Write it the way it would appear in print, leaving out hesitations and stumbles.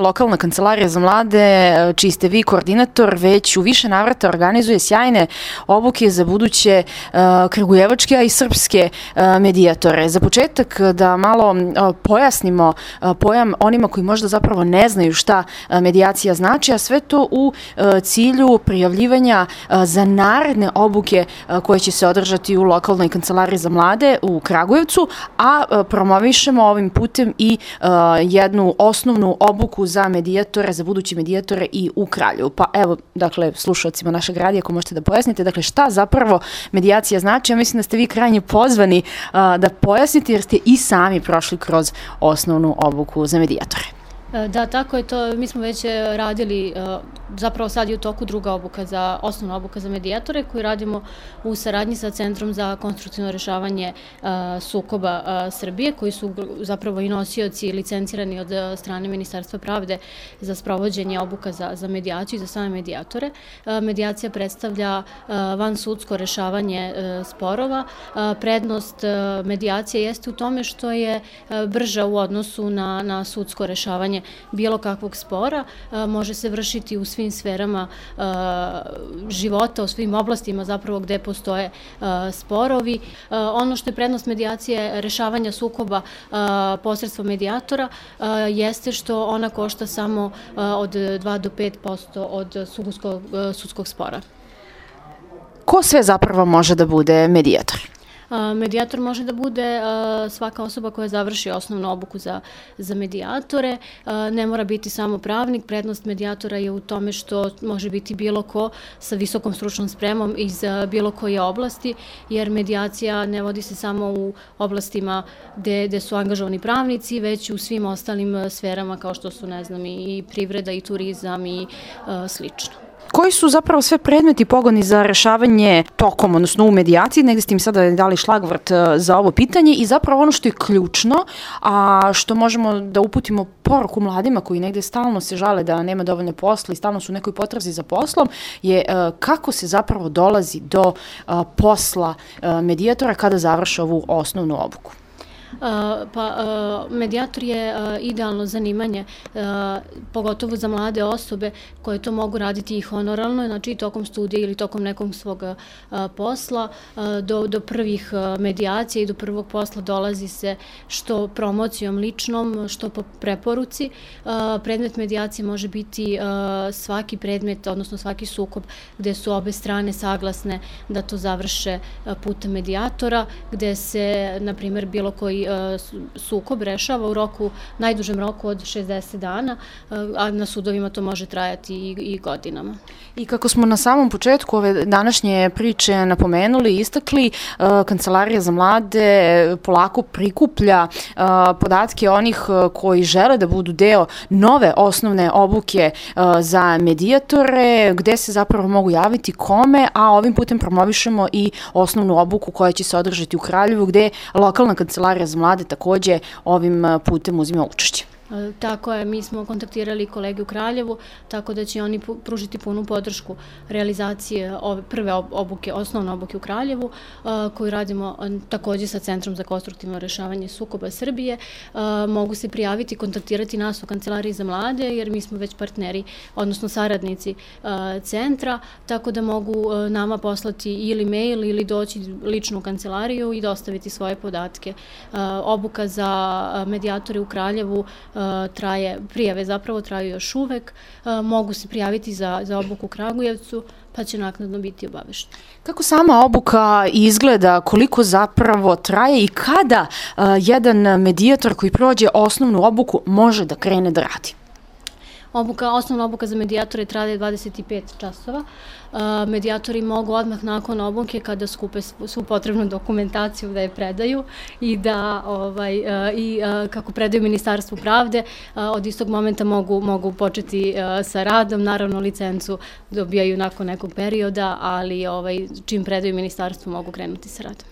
Lokalna kancelarija za mlade, čiji ste vi koordinator, već u više navrata organizuje sjajne obuke za buduće kragujevačke, a i srpske medijatore. Za početak da malo pojasnimo pojam onima koji možda zapravo ne znaju šta medijacija znači, a sve to u cilju prijavljivanja za naredne obuke koje će se održati u lokalnoj kancelariji za mlade u Kragujevcu, a promovišemo ovim putem i jednu osnovnu obuku za medijatore, za buduće medijatore i u Kraljevu. Pa evo, dakle, slušalcima našeg radija, ako možete da pojasnite, dakle, šta zapravo medijacija znači? Ja mislim da ste vi krajnje pozvani da pojasnite, jer ste i sami prošli kroz osnovnu obuku za medijatore. Da, tako je to. Mi smo već radili, zapravo sad je u toku druga obuka osnovna obuka za medijatore koju radimo u saradnji sa Centrom za konstruktivno rešavanje sukoba Srbije, koji su zapravo i nosioci licencirani od strane Ministarstva pravde za sprovođenje obuka za medijaciju i za same medijatore. Medijacija predstavlja vansudsko rešavanje sporova. Prednost medijacije jeste u tome što je brža u odnosu na sudsko rešavanje bilo kakvog spora, može se vršiti u svim sferama života, u svim oblastima zapravo gde postoje sporovi. Ono što je prednost medijacije rešavanja sukoba posredstvom medijatora jeste što ona košta samo od 2 do 5% od sudskog spora. Ko sve zapravo može da bude medijator? Medijator može da bude svaka osoba koja završi osnovnu obuku za medijatore. Ne mora biti samo pravnik. Prednost medijatora je u tome što može biti bilo ko sa visokom stručnom spremom iz bilo koje oblasti, jer medijacija ne vodi se samo u oblastima gde su angažovani pravnici, već u svim ostalim sferama kao što su, ne znam, i privreda i turizam i slično. Koji su zapravo sve predmeti pogoni za rešavanje tokom, odnosno u medijaciji? Negde ste im sada dali šlagvrt za ovo pitanje i zapravo ono što je ključno, a što možemo da uputimo poruku mladima koji negde stalno se žale da nema dovoljno posla i stalno su u nekoj potrazi za poslom, je kako se zapravo dolazi do posla medijatora kada završe ovu osnovnu obuku. Medijator je idealno zanimanje, pogotovo za mlade osobe koje to mogu raditi i honoralno, znači i tokom studija ili tokom nekog svog posla. Do prvih medijacija i do prvog posla dolazi se što promocijom ličnom, što po preporuci. Predmet medijacije može biti svaki predmet, odnosno svaki sukob gde su obe strane saglasne da to završe putem medijatora, gde se, na primjer, bilo koji sukob rešava u najdužem roku od 60 dana, a na sudovima to može trajati i godinama. I kako smo na samom početku ove današnje priče napomenuli i istakli, Kancelarija za mlade polako prikuplja podatke onih koji žele da budu deo nove osnovne obuke za medijatore, gde se zapravo mogu javiti, kome, a ovim putem promovišemo i osnovnu obuku koja će se održati u Kraljevu, gde lokalna Kancelarija za mlade takođe ovim putem uzima učešće. Tako je, mi smo kontaktirali kolege u Kraljevu, tako da će oni pružiti punu podršku realizacije ove prve obuke, osnovne obuke u Kraljevu, koju radimo takođe sa Centrom za konstruktivno rešavanje sukoba Srbije. Mogu se prijaviti, kontaktirati nas u Kancelariji za mlade, jer mi smo već partneri, odnosno saradnici centra, tako da mogu nama poslati ili mail ili doći lično u kancelariju i dostaviti svoje podatke. Obuka za medijatore u Kraljevu prijave zapravo traju još uvek, mogu se prijaviti za obuku u Kragujevcu, pa će naknadno biti obavešteni. Kako sama obuka izgleda, koliko zapravo traje i kada jedan medijator koji prođe osnovnu obuku može da krene da radi? Osnovna obuka za medijatore traje 25 časova. Medijatori mogu odmah nakon obuke, kada skupe svu potrebnu dokumentaciju, da je predaju i kako predaju Ministarstvu pravde, od istog momenta mogu početi sa radom. Naravno, licencu dobijaju nakon nekog perioda, ali čim predaju Ministarstvu mogu krenuti sa radom.